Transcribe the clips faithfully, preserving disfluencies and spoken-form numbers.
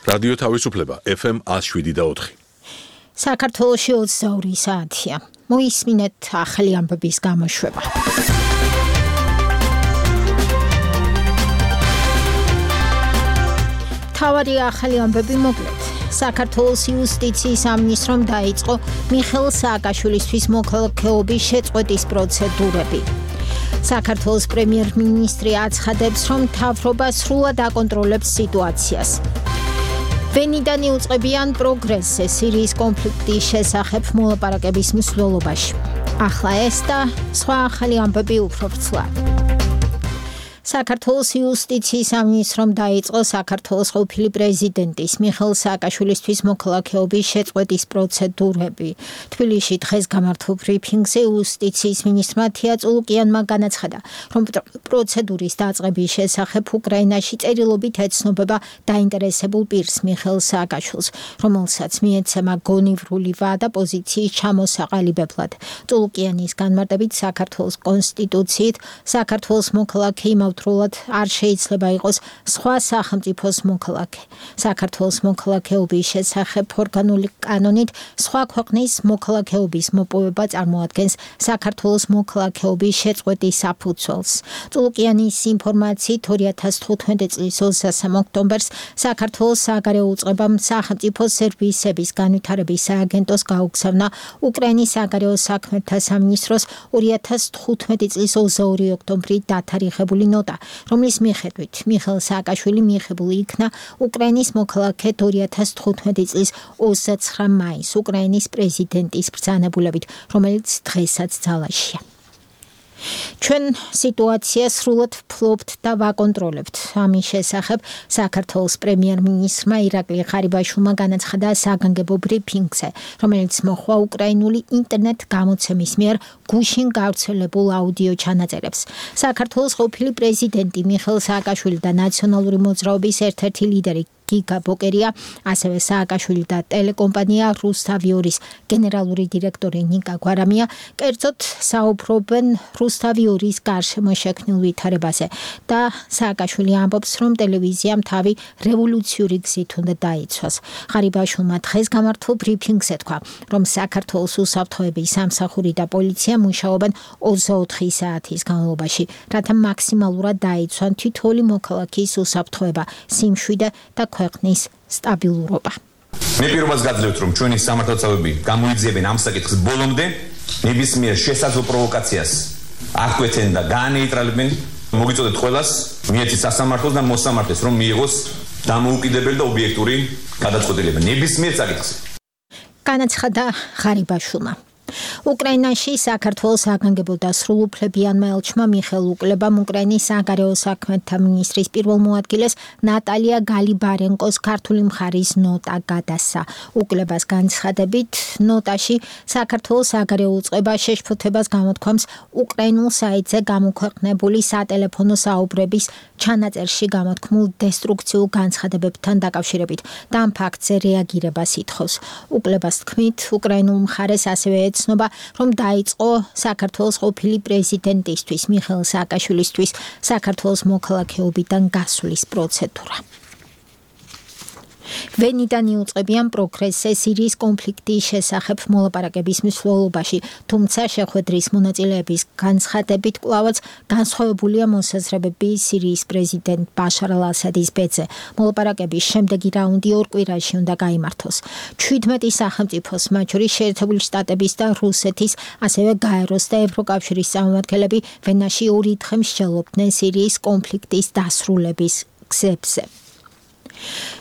რადიო თავისუფლება ეფ ემ one oh seven და four. საქართველოში ოცდაორი საათია. მოისმინეთ ახალი ამბების გამოშვება. თავარი ახალი ამბები მოკლედ. საქართველოს იუსტიციის სამინისტრომ დაიწყო მიხეილ სააკაშვილისთვის მოქალაქეობის შეწყვეტის პროცედურები. საქართველოს პრემიერ-მინისტრი აცხადებს, რომ მთავრობა სრულად აკონტროლებს სიტუაციას. ვენიდან იუწყებიან პროგრესზე სირიის კონფლიქტის შესახებ მოლაპარაკების მსვლელობაში. ახლა ეს და სხვა ახალი ამბები უფრო ვრცლად. საქართველოს იუსტიციის სამინისტრომ დაიწყო საქართველოს ყოფილი პრეზიდენტის მიხეილ სააკაშვილისთვის მოქალაქეობის შეწყვეტის პროცედურები. თბილისში დღეს გამართულ ბრიფინგზე იუსტიციის მინისტრმა თია წულუკიანმა განაცხადა, რომ პროცედურის დაწყების შესახებ უკრაინაში წერილობით ეცნობება დაინტერესებულ პირს მიხეილ სააკაშვილს, რომელსაც მიეცემა გონივრული ვადა პოზიციის ჩამოსაყალიბებლად. წულუკიანის განმარტებით საქართველოს კონსტიტუციით საქართველოს მოქალაქე იმავდროულად არ შეიძლება იყოს სხვა სახელმწიფოს მოქალაქე. საქართველოს მოქალაქეობის შესახებ ორგანული კანონით სხვა ქვეყნის მოქალაქეობის მოპოვება წარმოადგენს საქართველოს მოქალაქეობის შეწყვეტის საფუძველს. წულუკიანის ინფორმაციით ორი ათას თხუთმეტი წლის ოცდასამ ოქტომბერს საქართველოს სააგარეო უწყებამ სახელმწიფო სერვისების განვითარების სააგენტოს გაუგზავნა უკრაინის სააგარეო საქმეთა სამინისტროს ორი ათას თხუთმეტი წლის ოცდაორი ოქტომბრის დათარიღებული ნოტა, რომლის მიხედვით მიხეილ სააკაშვილი მიიღებული იქნა უკრაინის მოქალაქედ ორი ათას თხუთმეტი წლის ოცდაცხრა მაისს უკრაინის პრეზიდენტის ბრძანებულებით, რომელიც დღესაც ძალაშია. ჩვენ სიტუაციას სრულად ვფლობთ და ვაკონტროლებთ. ამის შესახებ საქართველოს პრემიერ-მინისტრმა ირაკლი ღარიბაშვილმა განაცხადა საგანგებო ბრიფინგზე, რომელიც მოჰყვა უკრაინული ინტერნეტ გამოცემის მიერ გუშინ გავრცელებულ აუდიო ჩანაწერებს. საქართველოს ყოფილი პრეზიდენტი მიხეილ სააკაშვილი და ნაციონალური მოძრაობის ერთ-ერთი ლიდერი გიგა ბოკერია, ასევე სააკაშვილი და ტელეკომპანია რუსთავიორის გენერალური დირექტორი ნიკა გვარამია კერძოდ საუბრობენ რუსთავიორის გარშემო შექმნილ ვითარებაზე და სააკაშვილი ამბობს, რომ ტელევიზიამ თავი რევოლუციური გზით უნდა დაიცვას. ღარიბაშვილმა დღეს გამართულ ბრიფინგზე თქვა, რომ საქართველოს უსაფრთხოების სამსახური და პოლიცია მუშაობენ ოცდაოთხი საათის განმავლობაში, რათა მაქსიმალურად დაიცვან თითოეული მოქალაქის უსაფრთხოება, სიმშვიდე და ქვეყნის სტაბილურობა. მე პირობას გაძლევთ, რომ ჩვენი სამართალდამცავები გამოიძიებენ ამ საკითხს ბოლომდე, ნებისმიერ შესაძლო პროვოკაციას აღკვეცენ და გაანეიტრალებენ. მოგიწოდეთ ყველას მიეცით სასამართლოს და მოსამართლეს, რომ მიიღოს დამოუკიდებელი და ობიექტური გადაწყვეტილება ნებისმიერ საკითხზე. განაცხადა ღარიბაშვილმა. უკრაინაში საქართველოს საგანგებო და სრულუფლებიანმა ელჩმა მიხეილ უკლებამ უკრაინის საგარეო საქმეთა მინისტრის პირველ მოადგილეს ნატალია გალიბარენკოს ქართული მხარის ნოტა გადასცა. უკლებას განცხადებით, ნოტაში საქართველოს საგარეო უწყება შეშფოთებას გამოთქვამს უკრაინულ საიტზე გამოქვეყნებული სატელეფონო საუბრების ჩანაწერში გამოთქმულ დესტრუქციულ განცხადებებთან დაკავშირებით და ამ ფაქტზე რეაგირებას ითხოვს. უკლებას თქმით, უკრაინულ მხარეს ასევე ცნობა, რომ დაიწყო საქართველოს ყოფილი პრეზიდენტისთვის მიხეილ სააკაშვილისთვის საქართველოს მოქალაქეობიდან გასვლის პროცედურა. ვენიდან იუწყებიან პროგრესზე სირიის კონფლიქტის შესახებ მოლაპარაკების მსვლელობაში, თუმცა შეხვედრის მონაწილეების განცხადებით კვლავაც განსხვავებულია მოსაზრებები სირიის პრეზიდენტ ბაშარ ალ-ასადის ბედზე. მოლაპარაკების შემდეგი რაუნდი ორ კვირაში უნდა გაიმართოს. ჩვიდმეტი სახელმწიფოს, მათ შორის შეერთებული შტატების და რუსეთის, ასევე გაეროს და ევროკავშირის წარმომადგენლები ვენაში ორი დღე მსჯელობდნენ სირიის კონფლიქტის დასრულების გზებზე.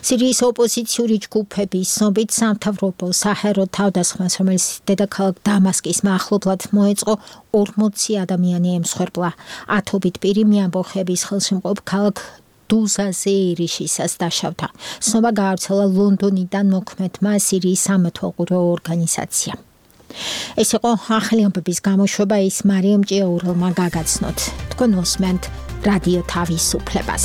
სირიის ოპოზიციური ჯგუფების ცნობით სამთავრობო საჰაერო თავდასხმას, რომელიც დედაქალაქ დამასკის მახლობლად მოეწყო, ორმოცი ადამიანი ემსხვერპლა. ათობით პირი მეამბოხების ხელშემყოფ ქალაქ დუზაზე ერიშისას დაშავდა. ცნობა გაავრცელა ლონდონიდან მოქმედმა სირიის სამეთვალყურეო ორგანიზაციამ. ეს იყო ახალი ამბების გამოშვება, ის მარიამ ჭიაურელმა გაგაცნოთ. თქვენ მოსმენთ რადიო თავისუფლებას.